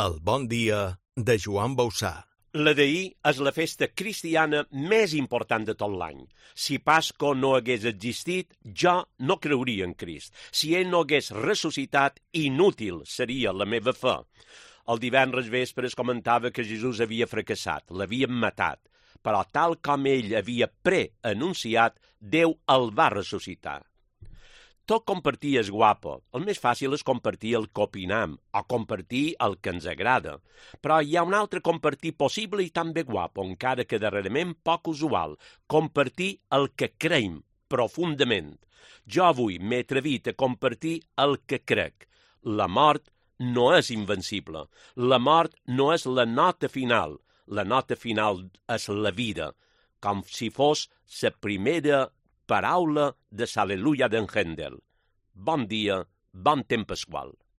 El bon dia de Joan Bausà. La d'ahir és la festa cristiana més important de tot l'any. Si Pasco no hagués existit, jo no creuria en Crist. Si ell no hagués ressuscitat, inútil seria la meva fe. El divendres vespre es comentava que Jesús havia fracassat, l'havien matat, però tal com ell havia preanunciat, Déu el va ressuscitar. Tot compartir és guapo. El més fàcil és compartir el que opinam o compartir el que ens agrada. Però hi ha un altre compartir possible i també guapo, encara que darrerament poc usual. Compartir el que creiem profundament. Jo avui m'he atrevit a compartir el que crec. La mort no és invencible. La mort no és la nota final. La nota final és la vida, com si fos la primera paraula de l'Al·leluia d'en Händel. Bon dia, bon temps pasqual.